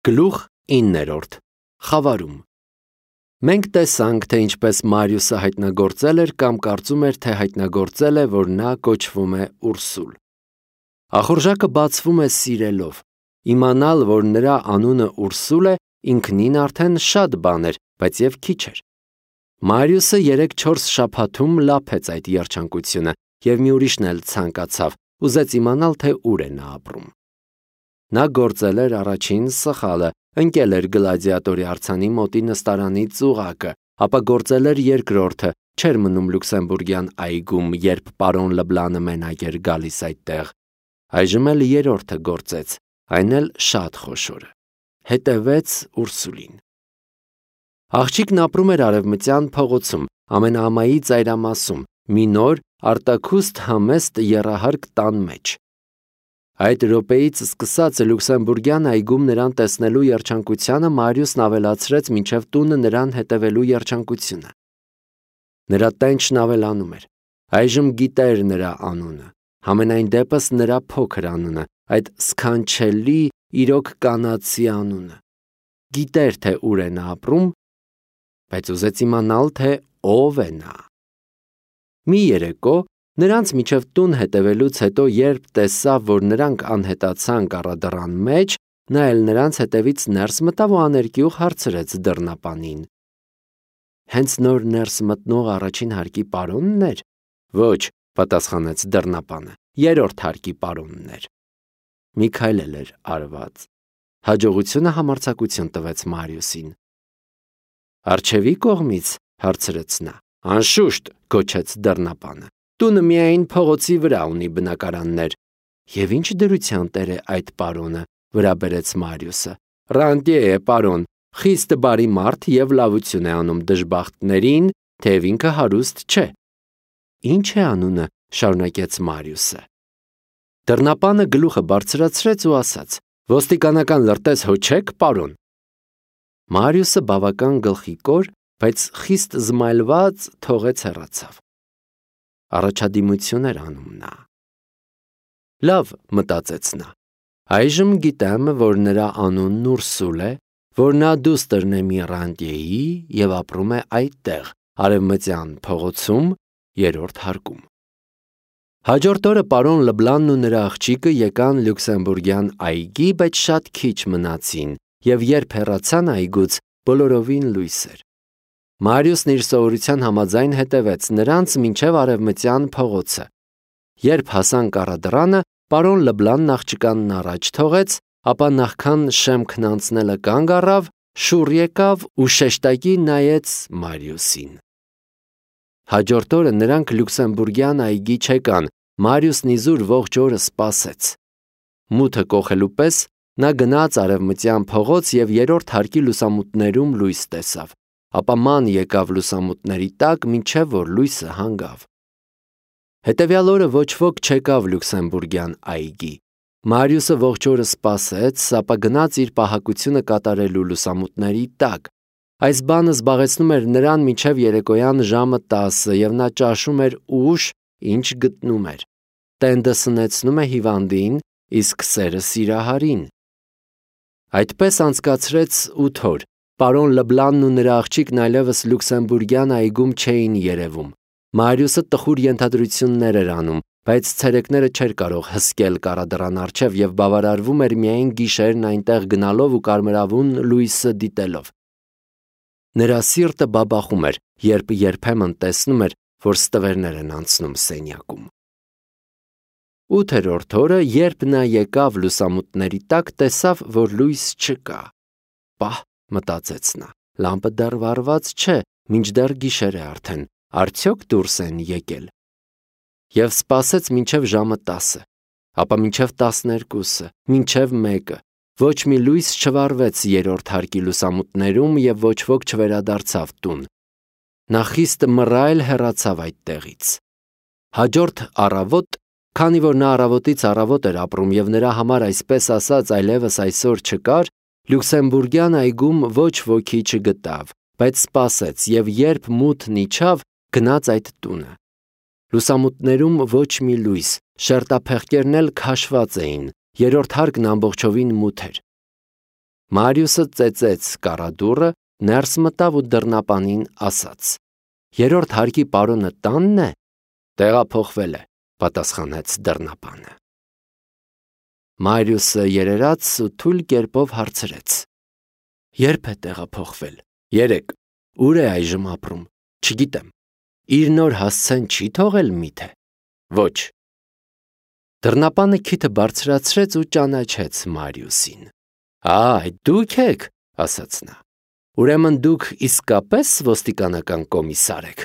Գլուխ 9. Խավարում։ Մենք տեսանք, թե ինչպես Մարիուսը հայտնագործել էր կամ կարծում էր, թե հայտնագործել է, որ նա կոչվում է Ուրսուլ։ Ախորժակը բացվում է սիրելով։ Իմանալ, որ նրա անունը Ուրսուլ է, ինքնին արդեն շատ բան էր, բայց և քիչ էր։ Մարիուսը 3-4 շաբաթում լափեց այդ երջանկությունը, և մի ուրիշն էլ ցանկացավ, ուզեց իմանալ, թե ուր է նա ապրում։ Նա գործել էր առաջին սխալը, ընկել էր գլադիատորի արձանի մոտի նստարանի ծուղակը, ապա գործել էր երկրորդը, չէր մնում Լյուքսեմբուրգյան այգում, երբ պարոն Լբլանը մենակ էր գալիս այդտեղ։ Այժմ էլ երրորդը գործեց, այն էլ շատ խոշորը։ Հետևեց Ուրսուլին։ Աղջիկն ապրում էր Արևմտյան փողոցում, ամենաամայի ծայրամասում, մի նոր, արտաքուստ համեստ եռահարկ տան մեջ։ Այդ րոպեից սկսած Լյուքսեմբուրգյան այգում նրան տեսնելու երջանկությանը Մարիուսն ավելացրեց մինչև տունը նրան հետևելու երջանկությունը։ Նրա տենչն ավելանում էր։ Այժմ գիտեր նրա անունը, համենայն դեպս նրա փոքր անունը, այդ սքանչելի, իրոք կանացի անունը։ Գիտեր, թե ուր է նա ապրում, բայց ուզեց իմանալ, թե ով է նա։ Մի երեկո նրանց միջև տուն հետևելուց հետո, երբ տեսավ, որ նրանք անհետացան կառադռան մեջ, նա էլ նրանց հետևից ներս մտավ ու աներկյուղ հարցրեց դռնապանին. «Հենց նոր ներս մտնող առաջին հարկի պարոնն էր»։ «Ոչ», պատասխանեց դռնապանը, «երրորդ հարկի պարոնն էր»։ Մի քայլ էլ էր արված։ Հաջողությունը համարձակություն տվեց Մարիուսին։ «Առջևի կողմից», հարցրեց նա։ «Անշուշտ», գոչեց դռնապանը։ «Տունը միայն փողոցի վրա ունի բնակարաններ»։ «Եվ ինչ դրության տեր է այդ պարոնը», վրա բերեց Մարիուսը։ «Ռանտյե է, պարոն, խիստ բարի մարդ և լավություն է անում դժբախտներին, թեև ինքը հարուստ չէ»։ «Ինչ է անունը», շարունակեց Մարիուսը։ Դռնապանը գլուխը բարձրացրեց ու ասաց. «Ոստիկանական լրտես հո չեք, պարոն»։ Մարիուսը բավական գլխիկոր, բայց խիստ զմայլված թողեց հեռացավ։ Առաջադիմություն էր անում նա։ Լավ, մտածեց նա, այժմ գիտեմ, որ նրա անունն Ուրսուլ է, որ նա դուստրն է մի ռանտյեի և ապրում է այդտեղ, Արևմտյան փողոցում, երրորդ հարկում։ Հաջորդ օրը պարոն Լբլանն ու նրա աղջիկը եկան Լյուքսեմբուրգյան այգի, բայց շատ քիչ մնացին, և երբ հեռացան այգուց, բոլորովին լույս էր։ Մարիուսն իր սովորության համաձայն հետևեց նրանց մինչև Արևմտյան փողոցը։ Երբ հասան կառադռանը, պարոն Լբլանն աղջկանն առաջ թողեց, ապա նախքան շեմքն անցնելը կանգ առավ, շուռ եկավ ու շեշտակի նայեց Մարիուսին։ Հաջորդ օրը նրանք Լյուքսեմբուրգյան այգի չեկան, Մարիուսն իզուր ողջ օրը սպասեց։ Մութը կոխելու պես նա գնաց Արևմտյան փողոց և երրորդ հարկի լուսամուտներում լույս տեսավ, ապա ման եկավ լուսամուտների տակ, մինչև որ լույսը հանգավ։ Հետևյալ օրը ոչ ոք չեկավ Լյուքսեմբուրգյան այգի։ Մարիուսը ողջ օրը սպասեց, ապա գնաց իր պահակությունը կատարելու լուսամուտների տակ։ Այս բանը զբաղեցնում էր նրան մինչև երեկոյան ժամը 10, և նա ճաշում էր ուշ, ինչ գտնում էր։ Տենդը սնեցնում է հիվանդին, իսկ սերը սիրահարին։ Այդպես անցկացրեց 8 օր։ Պարոն Լբլանն ու նրա աղջիկն այլևս Լյուքսեմբուրգյան այգում չէին երևում։ Մարիուսը տխուր ենթադրություններ էր անում, բայց ցերեկները չէր կարող հսկել կառադռան առջև և բավարարվում էր միայն գիշերն այնտեղ գնալով ու կարմրավուն լույսը դիտելով։ Նրա սիրտը բաբախում էր, երբ երբեմն տեսնում էր, որ ստվերներ են անցնում սենյակում։ 8-րդ օրը, երբ նա եկավ լուսամուտների տակ, տեսավ, որ լույս չկա։ Պահ, մտածեց նա, լամպը դեռ վառված չէ, մինչդեռ գիշեր է արդեն, արդյոք դուրս են եկել։ Եվ սպասեց մինչև ժամը 10, ապա մինչև 12, մինչև 1, ոչ մի լույս չվառվեց երրորդ հարկի լուսամուտներում և ոչ ոք չվերադարձավ տուն։ Նա խիստ մռայլ հեռացավ այդտեղից։ Հաջորդ առավոտ, քանի որ նա առավոտից առավոտ էր ապրում և նրա համար այսպես ասած այլևս այսօր չկար, Լյուքսեմբուրգյան այգում ոչ ոքի չգտավ, բայց սպասեց և երբ մութն իջավ, գնաց այդ տունը։ Լուսամուտներում ոչ մի լույս, շերտափեղկերն էլ քաշված էին, երրորդ հարկն ամբողջովին մութ էր։ Մարիուսը ծեծեց կառադուռը, ներս մտավ ու դռնապանին ասաց. «Երրորդ հարկի պարոնը տանն է»։ «Տեղափոխվել է», պատասխանեց դռնապանը։ Մարիուսը երերաց ու թույլ կերպով հարցրեց. «Երբ է տեղափոխվել»։ «Երեկ»։ «Ուր է այժմ ապրում»։ «Չգիտեմ»։ «Իր նոր հասցեն չի թողել միթե»։ «Ոչ»։ Դռնապանը քիթը բարձրացրեց ու ճանաչեց Մարիուսին։ «Այդ դուք եք», ասաց նա։ «Ուրեմն դուք իսկապես ոստիկանական կոմիսար եք»։